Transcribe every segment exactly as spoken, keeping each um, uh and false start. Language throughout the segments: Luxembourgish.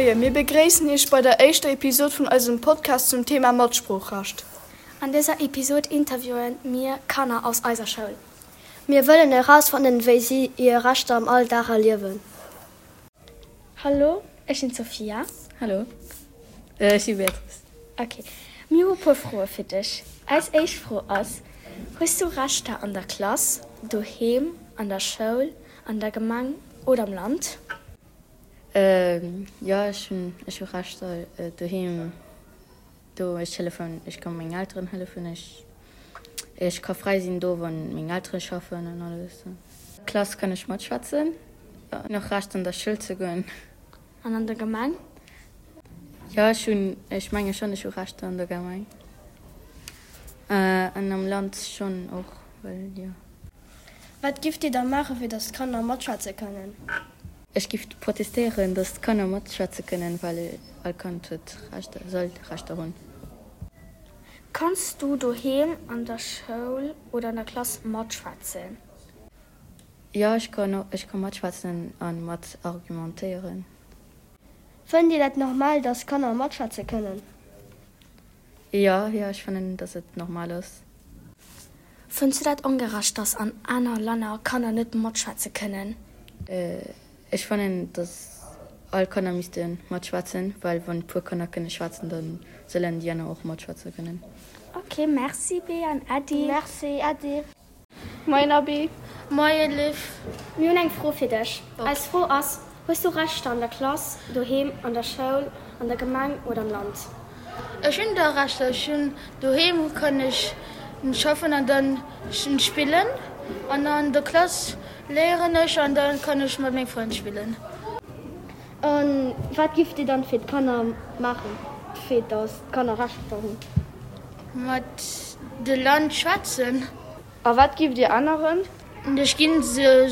Moien, mir begréissen Iech bei der éischter Episod vun eisem Podcast zum Thema Matsproochrecht. An dëser Episod interviewen mir Kanner aus eiser Schoul. Mir wëllen erausfannen, wéi si hir Rechter am Alldag erliewen. Hallo, ech sinn d'Sophia. Hallo, ech si Beatrice. Ok, mir hu puer Froe fir dech. Eis éischt Fro ass, Hues du Rechter an der Klass, doheem, an der Schoul, an der Gemeng oder am Land? Jo, ech hunn ech hu Rechter doheem. Do ech hëllefen, ech ka meng Elteren hëllefen, ech ech ka fräi sinn do wann meng Eltere schaffen an alles. Klass kann ech matschwätzen, hunn och Recht an der Schoul ze goen. An an der Gemeng? Jo, ech hunn, ech menge schonn, ech hu Rechter an der Gemeng an am Land schonn och, well jo. Wat gifft Dir da maachen, fir datt d'Kanner matschwätze kënnen? Ech giff protestéieren, datt d'Kanner matschwätze kënnen, well all Kand huet Rechter, soll Rechter hunn. Kanns du doheem, an der Schoul oder an der Klass matschwätzen? Jo, ech kann, ech ka matschwätzen a mat argumentéieren. Fënnt Dir dat normal, datt Kanner matschwätze kënnen? Jo, jo, ech fannen, datt et normal ass. Fënns du dat ongerecht, datt an aner Länner Kanner net matschwätze kënnen? Ech fannen, datt all Kanner misste matschwätzen, well wann e puer Kanner kënne schwätzen, da sollen déi aner och matschwätze kënnen. Ok, merci Bea an Äddi. Merci, Äddi. Moien Abi. Moien Liv. Mir hunn eng Fro fir dech. Eis Fro ass, Hues du Rechter an der Klass, doheem, an der Schoul, an der Gemeng oder am Land? Ech hunn da Rechter. Ech hunn doheem kann ech schaffen an dann spillen an an der Klass léieren ech an dann kann ech mat menge Frënn spillen. A wat gifft Dir dann fir d'Kanner maachen, fir datt d'Kanner Rechter hunn? Mat de Land schwätzen. A wat gifft Dir änneren? Ech ginn se,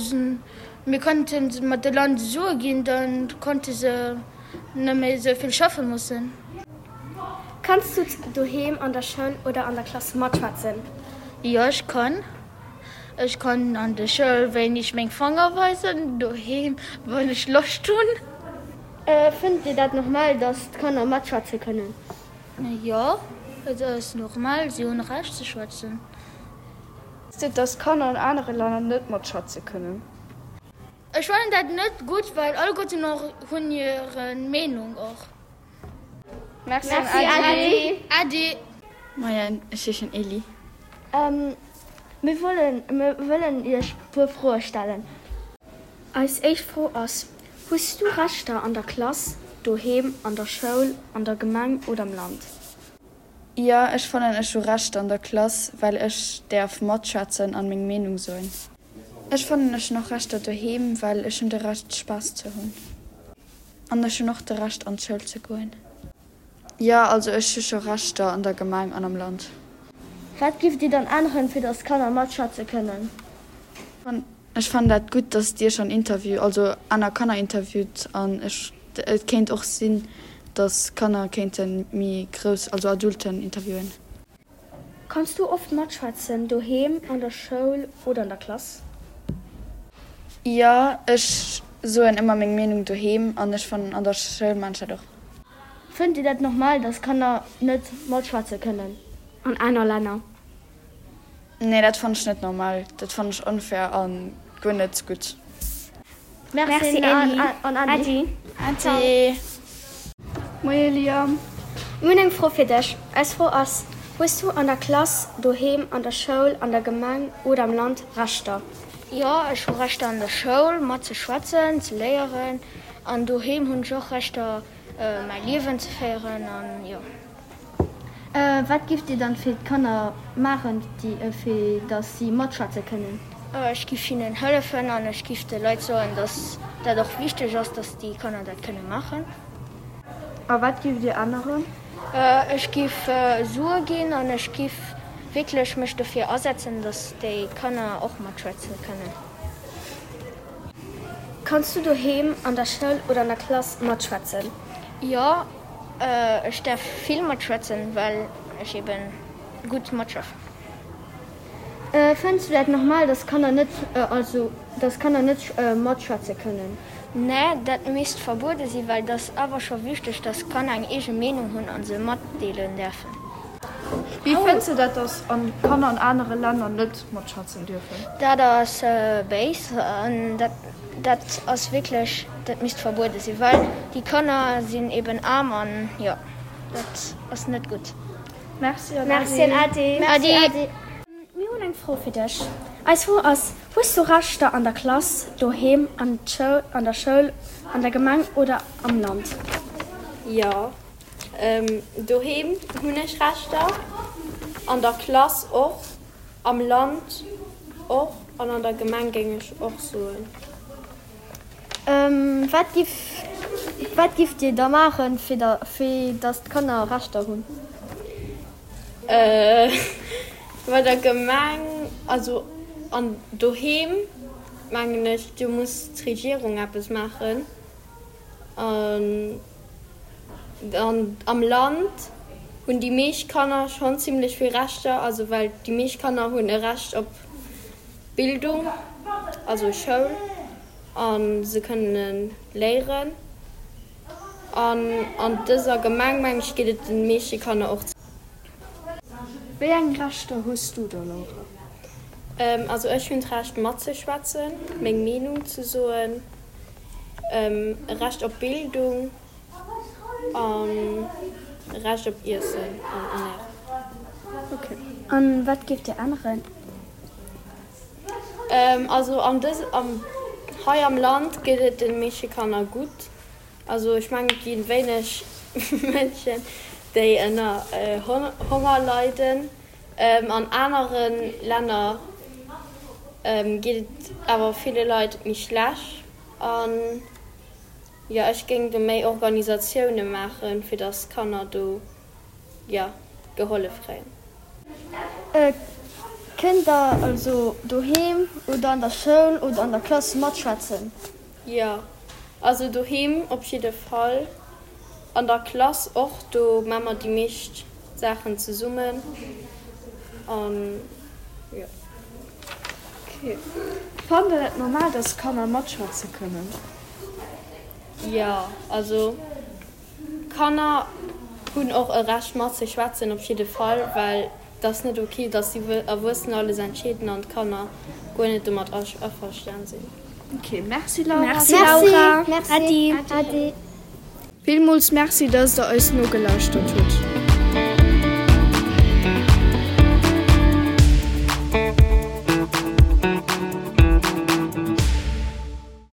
mir konnte mat de Land Sue ginn, dann konnte se net méi esou vill schaffe mussen. Kanns du doheem, an der Schoul oder an der Klass matschwätzen? Jo, ech kann. Ech kann an der Schoul wéineg meng Fanger weisen, doheem wann ech Loscht hunn. Fënnt Dir dat normal, datt d'Kanner matschwätze kënnen? Jo, et ass normal, si hunn Recht ze schwätzen. Datt Kanner an anere Länner net matschwätze kënnen? Ech fannen dat net gutt, well alleguerten och hunn hir Meenung och. Merci an Äddi. Äddi. Moien, ech heeschen Elli. Mir wëllen, mir wëllen Iech puer Froe stellen. Eis éischt Fro ass, Hues du Rechter an der Klass, doheem, an der Schoul, an der Gemeng oder am Land? Jo, ech fannen ech hu Rechter an der Klass, well ech däerf matschwätzen an meng Meenung soen. Ech fannen ech hunn och Rechter doheem, well ech hunn de Recht Spaass ze hunn. An ech hunn och de Recht an d'Schoul ze goen. Jo, also ech hu scho Rechter an der Gemeng an am Land. Wat gifft Dir dann änneren, fir datt d'Kanner matschwätze kënnen? Ech fannen dat gutt, datt Dir schonn Interview, also aner Kanner interviewt an ech, et kéint och sinn, datt Kanner kéinte méi grouss, also Adulten interviewen. Kanns du oft matschwätzen, doheem, an der Schoul oder an der Klass? Jo, ech soen ëmmer meng Meenung doheem an ech fannen an der Schoul maan ech dat och. Fënnt Dir dat normal, datt Kanner net matschwätze kënnen? An aner Länner? Nee, dat fannen ech net normal. Dat fannen ech onfair a guer net gutt. Merci Elli. An Äddi. Äddi. Moie Liam. Mir hunn eng Fro fir dech. Eis Fro ass, Hues du an der Klass, doheem, an der Schoul, an der Gemeng oder am Land Rechter? Jo, ech hu Rechter an der Schoul, mat ze schwätzen, ze léieren. An doheem hunn ech och Rechter, mäi Liewen ze féieren an jo. Wat gifft Dir dann fir d'Kanner maachen, fir datt si matschwätze kënnen? Ech giff hinnen hëllefen an ech giff de Leit soen, datt dat och wichteg ass, datt déi Kanner dat kënne maachen. A wat gifft Dir änneren? Ech giff Sue ginn an ech giff wierklech mech dofir asetzen, datt déi Kanner och matschwätze kënnen. Kanns du doheem, an der Schoul oder an der Klass matschwätzen? Jo, ech däerf vill matschwätzen, well ech eben gutt matschaffen. Fënns du dat normal, datt Kanner net, also datt Kanner net matschwätze kënnen? Nee, dat misst verbuede sinn, well dat ass awer scho wichteg, dass Kanner eng eege Meenung hunn a se matdeelen däerfen. Wéi fënns de dat, dass Kanner an anere Länner net matschwätzen dierfen? Dat ass béis an dat dat ass wierklech, dat misst verbuede sinn, well déi Kanner sinn eben aarm an jo, dat ass net gutt. Merci an Merci an Ade. Ade. Merci, Ade. Mir hunn eng Fro fir dech. Eis Fro ass, Hues du Rechter an der Klass, doheem, an an der Schoul, an der Gemeng oder am Land? Jo, doheem hunn ech Rechter, an der Klass och, am Land och an an der Gemeng géing ech och soen. Wat giff wat gifft Dir da maachen, fir da fir datt d'Kanner Rechter hunn? Bei der Gemeng, also an doheem mengen ech, do muss d'Regierung eppes maachen. An an am Land hunn déi meescht Kanner schonn zimlech vill Rechter, also well déi meescht Kanner hunn e Recht op Bildung, also Schoul, a se kënne léieren. An an dëser Gemeng mengen ech geet et de meeschte Kanner och. Wéi eng Rechter hues du da, Laura? Also ech hunn d'Recht matzeschwätzen, meng Meenung ze soen, e Recht op Bildung an e Recht op Iessen an Ernärung. Ok. An wat géift Dir änneren? Also an dës am hei am Land geet et de meeschte Kanner gutt. Also ech mengen et gi wéineg Mënschen déi ënner Honger leiden. An anere Länner geet et awer ville Leit méi schlecht. An jo ech géing do méi Organisatioune maachen, fir datt Kanner do jo gehollef kréien. Kënnt der also doheem oder an der Schoul oder an der Klass matschwätzen? Jo, also doheem op jidde Fall, an der Klass och, do maa mer déi meescht Saachen zesummen an jo. Ok. Fannt der dat normal, dass Kanner matschwätze kënnen? Jo, also Kanner hunn och e Recht matzeschwätzen op jidde Fall, well et ass net ok, dass déi Erwuessen alles entscheeden an d'Kanner guer net domat averstan sinn. Ok, merci Laura. Merci Laura. Merci. Adi. Adi. Villmools Merci, dass der eis nogelauschtert hutt.